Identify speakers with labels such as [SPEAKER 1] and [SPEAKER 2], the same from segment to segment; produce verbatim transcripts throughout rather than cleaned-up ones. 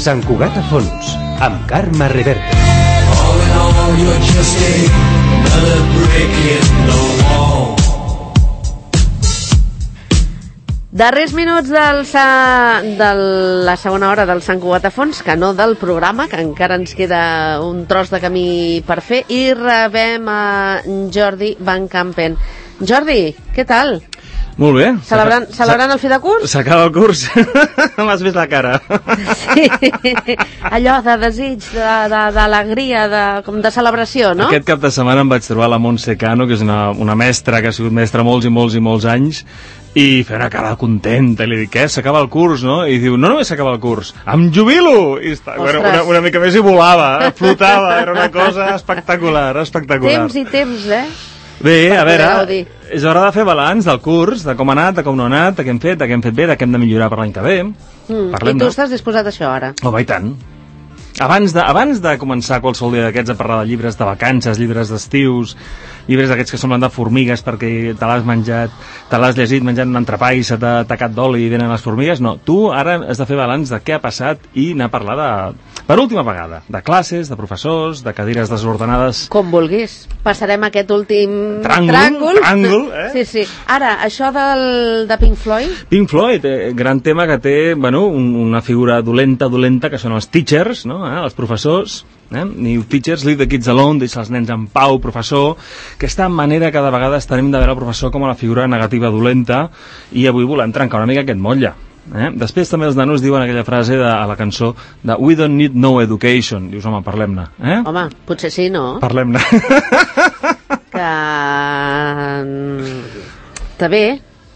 [SPEAKER 1] Sant Cugat a Fons, amb Carme Reverte.
[SPEAKER 2] All in all, you're just another brick in the wall.
[SPEAKER 3] Darrers minuts del sa... de la segona hora del Sant Cugat a Fons, que no del programa, que encara ens queda un tros de camí per fer, i rebem a Jordi Van Campen. Jordi, què tal?
[SPEAKER 4] Molt bé.
[SPEAKER 3] Celebrant, celebrant el fi de curs?
[SPEAKER 4] S'acaba el curs. M'has vist la cara.
[SPEAKER 3] Sí, allò de desig, d'alegria, de, de, com de celebració, no?
[SPEAKER 4] Aquest cap de setmana em vaig trobar la Montse Cano, que és una, una mestra que ha sigut mestra molts i molts i molts anys, i fer una cara contenta, i li dic, què, s'acaba el curs, no? I diu, no només s'acaba el curs, em jubilo! I està, bueno, una, una mica més i volava, flotava, era una cosa espectacular, espectacular.
[SPEAKER 3] Temps i temps, eh?
[SPEAKER 4] Bé, a veure, és hora de fer balanç del curs, de com ha anat, de com no ha anat, de què hem fet, de què hem fet bé, de què hem de millorar per l'any que ve.
[SPEAKER 3] Mm. I tu estàs disposat a això, ara?
[SPEAKER 4] Oh, va, i tant. Abans de, abans de començar qualsevol dia d'aquests a parlar de llibres de vacances, llibres d'estius, llibres d'aquests que semblen de formigues perquè te l'has menjat, te l'has llegit menjant un entrepà i se t'ha tacat d'oli i venen les formigues, no. Tu ara has de fer balanç de què ha passat i anar a parlar de, per última vegada, de classes, de professors, de cadires desordenades.
[SPEAKER 3] Com vulguis. Passarem aquest últim
[SPEAKER 4] tràngol.
[SPEAKER 3] Tràngol,
[SPEAKER 4] tràngol eh?
[SPEAKER 3] Sí, sí. Ara, això del, de Pink Floyd?
[SPEAKER 4] Pink Floyd, eh, gran tema que té, bueno, un, una figura dolenta, dolenta, que són els teachers, no? Eh? Els professors. Eh? New teachers, leave the kids alone, deixa els nens en pau, professor. Aquesta manera que de vegades tenim de veure el professor com a la figura negativa dolenta, i avui volem trencar una mica aquest motlle. Eh? Després també els nanos diuen aquella frase de, a la cançó de We don't need no education. Dius, home, parlem-ne. Eh?
[SPEAKER 3] Home, potser sí, no?
[SPEAKER 4] Parlem-ne.
[SPEAKER 3] Que... Està bé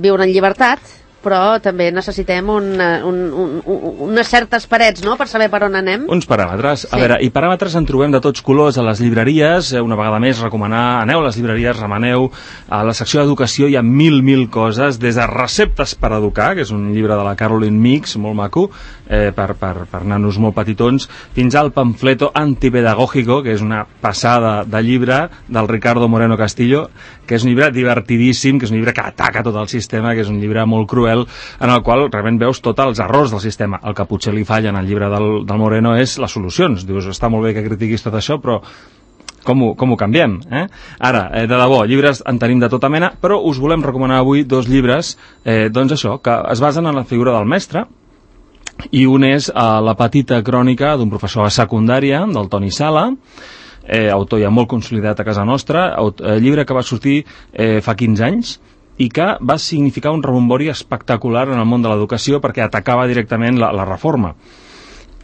[SPEAKER 3] viure en llibertat, però també necessitem un, un, un, un, unes certes parets, no?, per saber per on anem.
[SPEAKER 4] Uns paràmetres.
[SPEAKER 3] Sí.
[SPEAKER 4] A veure, i paràmetres en trobem de tots colors a les llibreries. Una vegada més, recomanar, aneu a les llibreries, remeneu. A la secció d'educació hi ha mil, mil coses, des de receptes per educar, que és un llibre de la Caroline Mix, molt maco, eh, per, per, per nanos molt petitons, fins al pamfleto antipedagógico, que és una passada de llibre del Ricardo Moreno Castillo, que és un llibre divertidíssim, que és un llibre que ataca tot el sistema, que és un llibre molt cruel, en el qual realment veus tots els errors del sistema. El que potser li falla en el llibre del, del Moreno és les solucions. Dius, està molt bé que critiquis tot això, però com ho, com ho canviem? Eh? Ara, eh, de debò, llibres en tenim de tota mena, però us volem recomanar avui dos llibres, eh, doncs això, que es basen en la figura del mestre, i un és eh, La petita crònica d'un professor a secundària, del Toni Sala, eh, autor ja molt consolidat a casa nostra, aut eh, llibre que va sortir eh, fa quinze anys, i que va significar un rebombori espectacular en el món de l'educació perquè atacava directament la, la reforma.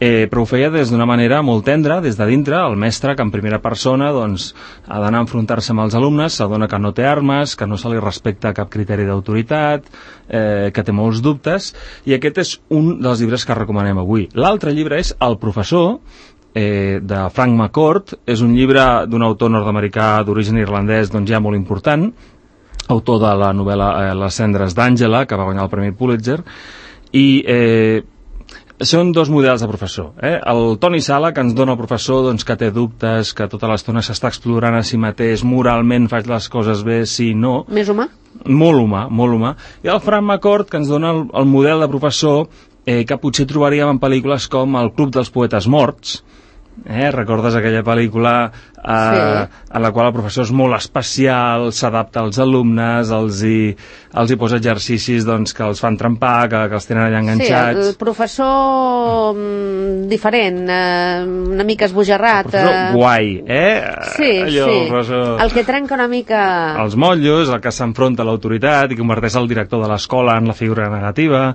[SPEAKER 4] Eh, però ho feia des d'una manera molt tendra, des de dintre, el mestre que en primera persona doncs, ha d'anar a enfrontar-se amb els alumnes, s'adona que no té armes, que no se li respecta cap criteri d'autoritat, eh, que té molts dubtes, i aquest és un dels llibres que recomanem avui. L'altre llibre és El professor, eh, de Frank McCourt. És un llibre d'un autor nord-americà d'origen irlandès doncs, ja molt important, autor de la novel·la eh, Les cendres d'Àngela, que va guanyar el Premi Pulitzer, i eh, són dos models de professor. Eh? El Toni Sala, que ens dona el professor doncs, que té dubtes, que tota l'estona s'està explorant a si mateix, moralment faig les coses bé, sí, no.
[SPEAKER 3] Més humà?
[SPEAKER 4] Molt humà, molt humà. I el Frank McCourt, que ens dona el, el model de professor eh, que potser trobaríem en pel·lícules com El club dels poetes morts. Eh? Recordes aquella pel·lícula eh, sí. en la qual el professor és molt especial, s'adapta als alumnes, els hi, els hi posa exercicis doncs, que els fan trempar, que, que els tenen allà enganxats.
[SPEAKER 3] Sí, el professor mm, diferent, eh, una mica esbojarrat.
[SPEAKER 4] El professor
[SPEAKER 3] eh...
[SPEAKER 4] guai, eh?
[SPEAKER 3] Sí,
[SPEAKER 4] Allò,
[SPEAKER 3] sí.
[SPEAKER 4] El, professor...
[SPEAKER 3] el que trenca una mica...
[SPEAKER 4] Els motllos, el que s'enfronta a l'autoritat i converteix el director de l'escola en la figura negativa.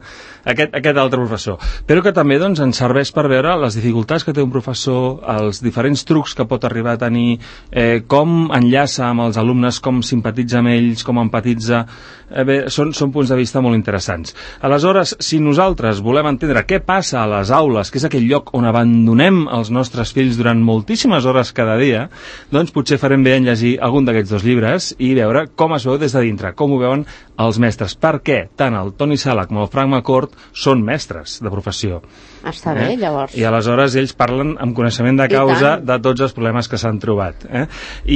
[SPEAKER 4] Aquest, aquest altre professor. Però que també doncs, ens serveix per veure les dificultats que té un professor, els diferents trucs que pot arribar a tenir, eh, com enllaça amb els alumnes, com simpatitza amb ells, com empatitza. Eh, bé, són, són punts de vista molt interessants. Aleshores, si nosaltres volem entendre què passa a les aules, que és aquell lloc on abandonem els nostres fills durant moltíssimes hores cada dia, doncs potser farem bé en llegir algun d'aquests dos llibres i veure com es veu des de dintre, com ho veuen els mestres. Per què tant el Toni Sala com el Frank McCourt són mestres de professió.
[SPEAKER 3] Està bé, eh? Llavors.
[SPEAKER 4] I aleshores ells parlen amb coneixement de causa de tots els problemes que s'han trobat. Eh?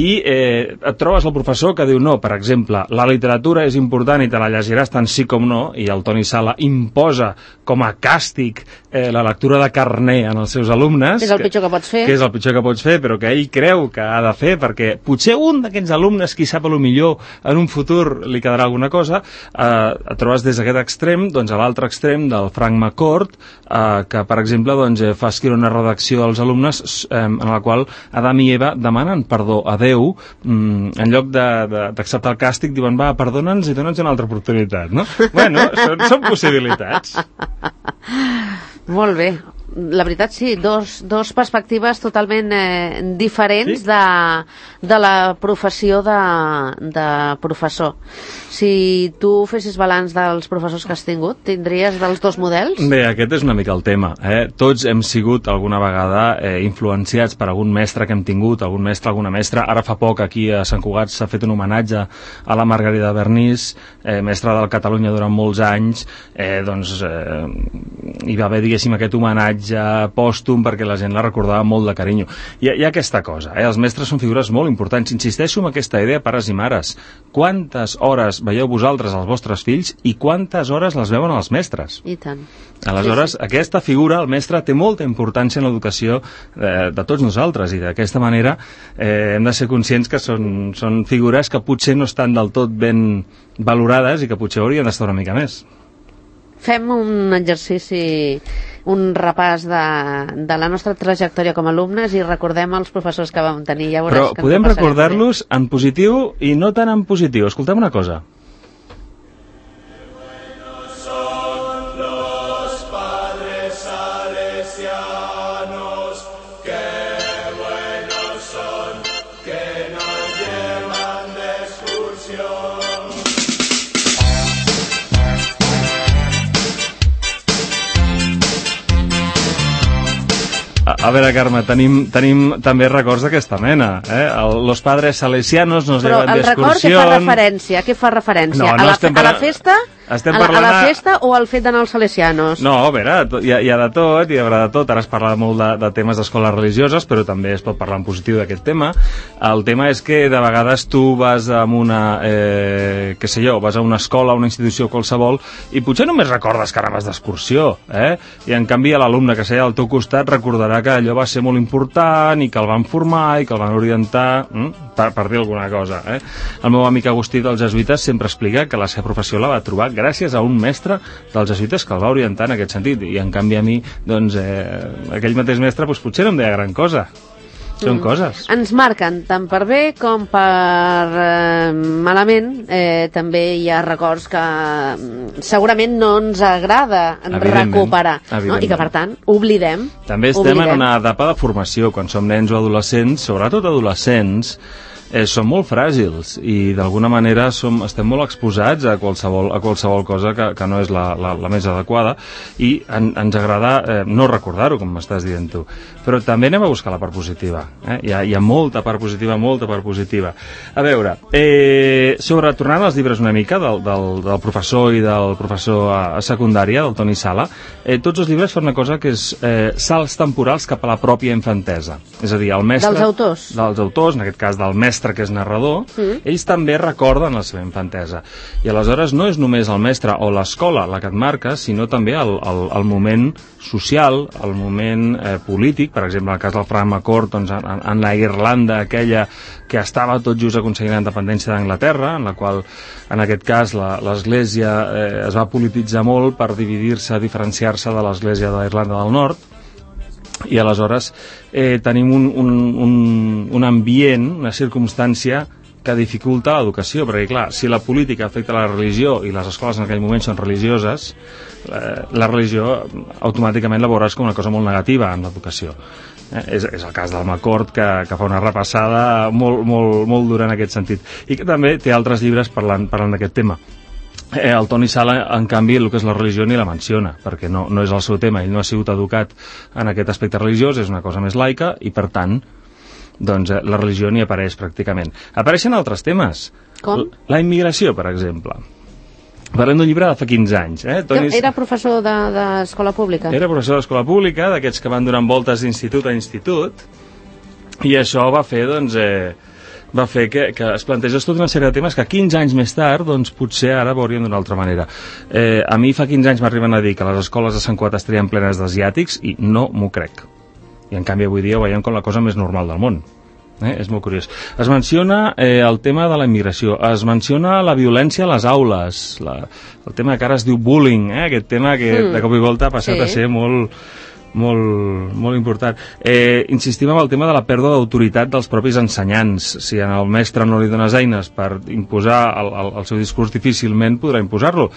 [SPEAKER 4] I eh, et trobes el professor que diu no, per exemple, la literatura és important i te la llegiràs tant sí com no, i el Toni Sala imposa com a càstig eh, la lectura de carner en els seus alumnes.
[SPEAKER 3] És el pitjor que pots fer.
[SPEAKER 4] Que és el pitjor que pots fer, però que ell creu que ha de fer, perquè potser un d'aquests alumnes, qui sap a lo millor, en un futur li quedarà alguna cosa, eh, et trobes des d'aquest extrem, doncs a l'altre extrem del Frank McCourt, eh, que per exemple doncs, eh, fa escriure una redacció als alumnes eh, en la qual Adam i Eva demanen perdó a Déu, mm, en lloc d'acceptar el càstig diuen va, perdona'ns i dona'ns una altra oportunitat, no? Bueno, són, són possibilitats.
[SPEAKER 3] Molt bé. La veritat, sí, dos, dos perspectives totalment eh, diferents sí? de, de la professió de, de professor. Si tu fessis balanç dels professors que has tingut, tindries dels dos models?
[SPEAKER 4] Bé, aquest és una mica el tema. Eh? Tots hem sigut alguna vegada eh, influenciats per algun mestre que hem tingut, algun mestre, alguna mestra. Ara fa poc aquí a Sant Cugat s'ha fet un homenatge a la Margarida Bernís, eh, mestra del Catalunya durant molts anys. Eh, doncs eh, hi va haver, diguéssim, aquest homenatge pòstum perquè la gent la recordava molt de carinyo. Hi ha, hi ha aquesta cosa, eh? Els mestres són figures molt importants. Insisteixo en aquesta idea, pares i mares. Quantes hores veieu vosaltres als vostres fills i quantes hores les veuen els mestres?
[SPEAKER 3] I tant.
[SPEAKER 4] Aleshores,
[SPEAKER 3] sí, sí.
[SPEAKER 4] aquesta figura, el mestre, té molta importància en l'educació eh, de tots nosaltres i d'aquesta manera eh, hem de ser conscients que són, són figures que potser no estan del tot ben valorades i que potser haurien d'estar una mica més.
[SPEAKER 3] Fem un exercici, un repàs de, de la nostra trajectòria com a alumnes i recordem els professors que vam tenir. Ja
[SPEAKER 4] Però podem recordar-los en positiu i no tan en positiu. Escoltem una cosa. A veure, Carme, tenim, tenim també records d'aquesta mena. Eh? El, los padres salesianos nos
[SPEAKER 3] Però
[SPEAKER 4] llevan d'excursió...
[SPEAKER 3] Però el record què fa referència? Què fa referència?
[SPEAKER 4] No, no
[SPEAKER 3] a, la,
[SPEAKER 4] estem
[SPEAKER 3] a la festa?
[SPEAKER 4] Estem
[SPEAKER 3] a, la,
[SPEAKER 4] parlant...
[SPEAKER 3] a la festa o al fet d'anar als salesianos?
[SPEAKER 4] No, a veure, hi ha, hi ha de tot, hi haurà de tot. Ara es parla molt de, de temes d'escoles religioses, però també es pot parlar en positiu d'aquest tema. El tema és que de vegades tu vas a una, eh, què sé jo, vas a una escola, a una institució qualsevol, i potser només recordes que anaves d'excursió, eh? I en canvi l'alumne que seia al teu costat recordarà que allò va ser molt important i que el van formar i que el van orientar, hm? per, per dir alguna cosa. Eh? El meu amic Agustí dels Jesuïtes sempre explica que la seva professió la va trobar gràcies a un mestre dels Jesuïtes que el va orientar en aquest sentit, i en canvi a mi, doncs, eh, aquell mateix mestre doncs, potser no em deia gran cosa. Són mm. coses.
[SPEAKER 3] Ens marquen tant per bé com per eh, malament. Eh, també hi ha records que segurament no ens agrada recuperar, no? I que per tant oblidem.
[SPEAKER 4] També estem
[SPEAKER 3] oblidem.
[SPEAKER 4] en una etapa de formació, quan som nens o adolescents, sobretot adolescents, eh, són molt fràgils i d'alguna manera som, estem molt exposats a qualsevol, a qualsevol cosa que, que no és la, la, la més adequada, i en, ens agrada eh, no recordar-ho, com m'estàs dient tu, però també anem a buscar la part positiva. Eh? Hi, ha, hi ha molta part positiva, molta part positiva. A veure, eh, sobre, tornant als llibres una mica del, del, del professor i del professor a, a secundària, del Toni Sala, eh, tots els llibres fan una cosa que és eh, salts temporals cap a la pròpia infantesa. És a dir, el mestre...
[SPEAKER 3] Dels autors.
[SPEAKER 4] Dels autors, en aquest cas del mestre que és narrador, mm. ells també recorden la seva infantesa. I aleshores no és només el mestre o l'escola la que et marca, sinó també el, el, el moment social, el moment eh, polític, per exemple, en el cas del Frank McCourt, doncs, en, en la Irlanda aquella que estava tot just aconseguint la independència d'Anglaterra, en la qual, en aquest cas, l'Església eh, es va polititzar molt per dividir-se, diferenciar-se de l'Església de l'Irlanda del Nord, i aleshores eh, tenim un, un, un, un ambient, una circumstància que dificulta l'educació, perquè clar, si la política afecta la religió i les escoles en aquell moment són religioses, eh, la religió automàticament la veuràs com una cosa molt negativa en l'educació. Eh, és, és el cas del McCourt, que, que fa una repassada molt, molt, molt dura en aquest sentit, i que també té altres llibres parlant, parlant d'aquest tema. Eh, el Toni Sala, en canvi, el que és la religió ni la menciona, perquè no, no és el seu tema, ell no ha sigut educat en aquest aspecte religiós, és una cosa més laica, i per tant, doncs, eh, la religió ni apareix pràcticament. Apareixen altres temes.
[SPEAKER 3] Com?
[SPEAKER 4] La immigració, per exemple. Parlem d'un llibre de fa quinze anys. Eh? Toni...
[SPEAKER 3] Era professor d'escola pública?
[SPEAKER 4] Era professor d'escola pública, d'aquests que van donant voltes d'institut a institut, I això va fer, doncs, eh, va fer que, que es plantegés tota una sèrie de temes que quinze anys més tard, doncs, potser ara veuríem d'una altra manera. Eh, a mi fa quinze anys m'arriben a dir que les escoles de Sant Cugat estarien plenes d'asiàtics i no m'ho crec. I en canvi avui dia ho veiem com la cosa més normal del món. Eh? És molt curiós. Es menciona eh, el tema de la immigració, es menciona la violència a les aules, la, el tema que ara es diu bullying, eh? Aquest tema que mm. de cop i volta ha passat sí. a ser molt... molt, molt important. Eh, insistim en el tema de la pèrdua d'autoritat dels propis ensenyants. Si al mestre no li dones eines per imposar el, el, el seu discurs, difícilment podrà imposar-lo.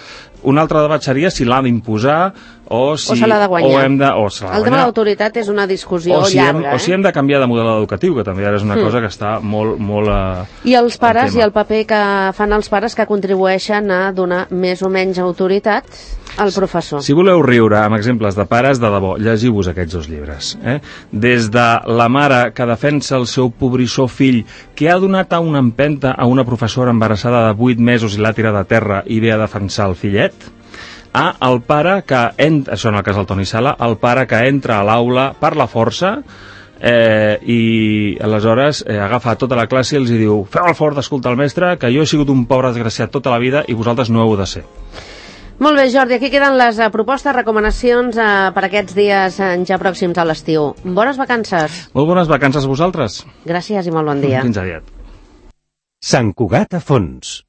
[SPEAKER 4] Un altre debat seria si l'ha d'imposar o si...
[SPEAKER 3] O se l'ha de guanyar.
[SPEAKER 4] O hem de, o se l'ha de
[SPEAKER 3] el tema
[SPEAKER 4] guanyar.
[SPEAKER 3] de l'autoritat és una discussió
[SPEAKER 4] o si
[SPEAKER 3] llarga.
[SPEAKER 4] Hem, eh? O si hem de canviar de model educatiu, que també ara és una mm. cosa que està molt... molt uh,
[SPEAKER 3] I els pares, i el paper que fan els pares que contribueixen a donar més o menys autoritat al professor.
[SPEAKER 4] Si voleu riure amb exemples de pares, de debò, llegiu-vos aquests dos llibres. Eh? Des de la mare que defensa el seu pobrissó fill, que ha donat a una empenta a una professora embarassada de vuit mesos i l'ha tirat a terra i ve a defensar el fillet, a el pare que, ent... això en el cas del Toni Sala, el pare que entra a l'aula per la força eh, i aleshores eh, agafa tota la classe i els diu: feu el favor d'escoltar el mestre, que jo he sigut un pobre desgraciat tota la vida i vosaltres no heu de ser.
[SPEAKER 3] Molt bé, Jordi, aquí queden les uh, propostes, recomanacions uh, per aquests dies uh, ja pròxims a l'estiu. Bones vacances.
[SPEAKER 4] Molt bones vacances a vosaltres.
[SPEAKER 3] Gràcies i molt bon dia.
[SPEAKER 4] Fins aviat.
[SPEAKER 1] Sant Cugat a fons.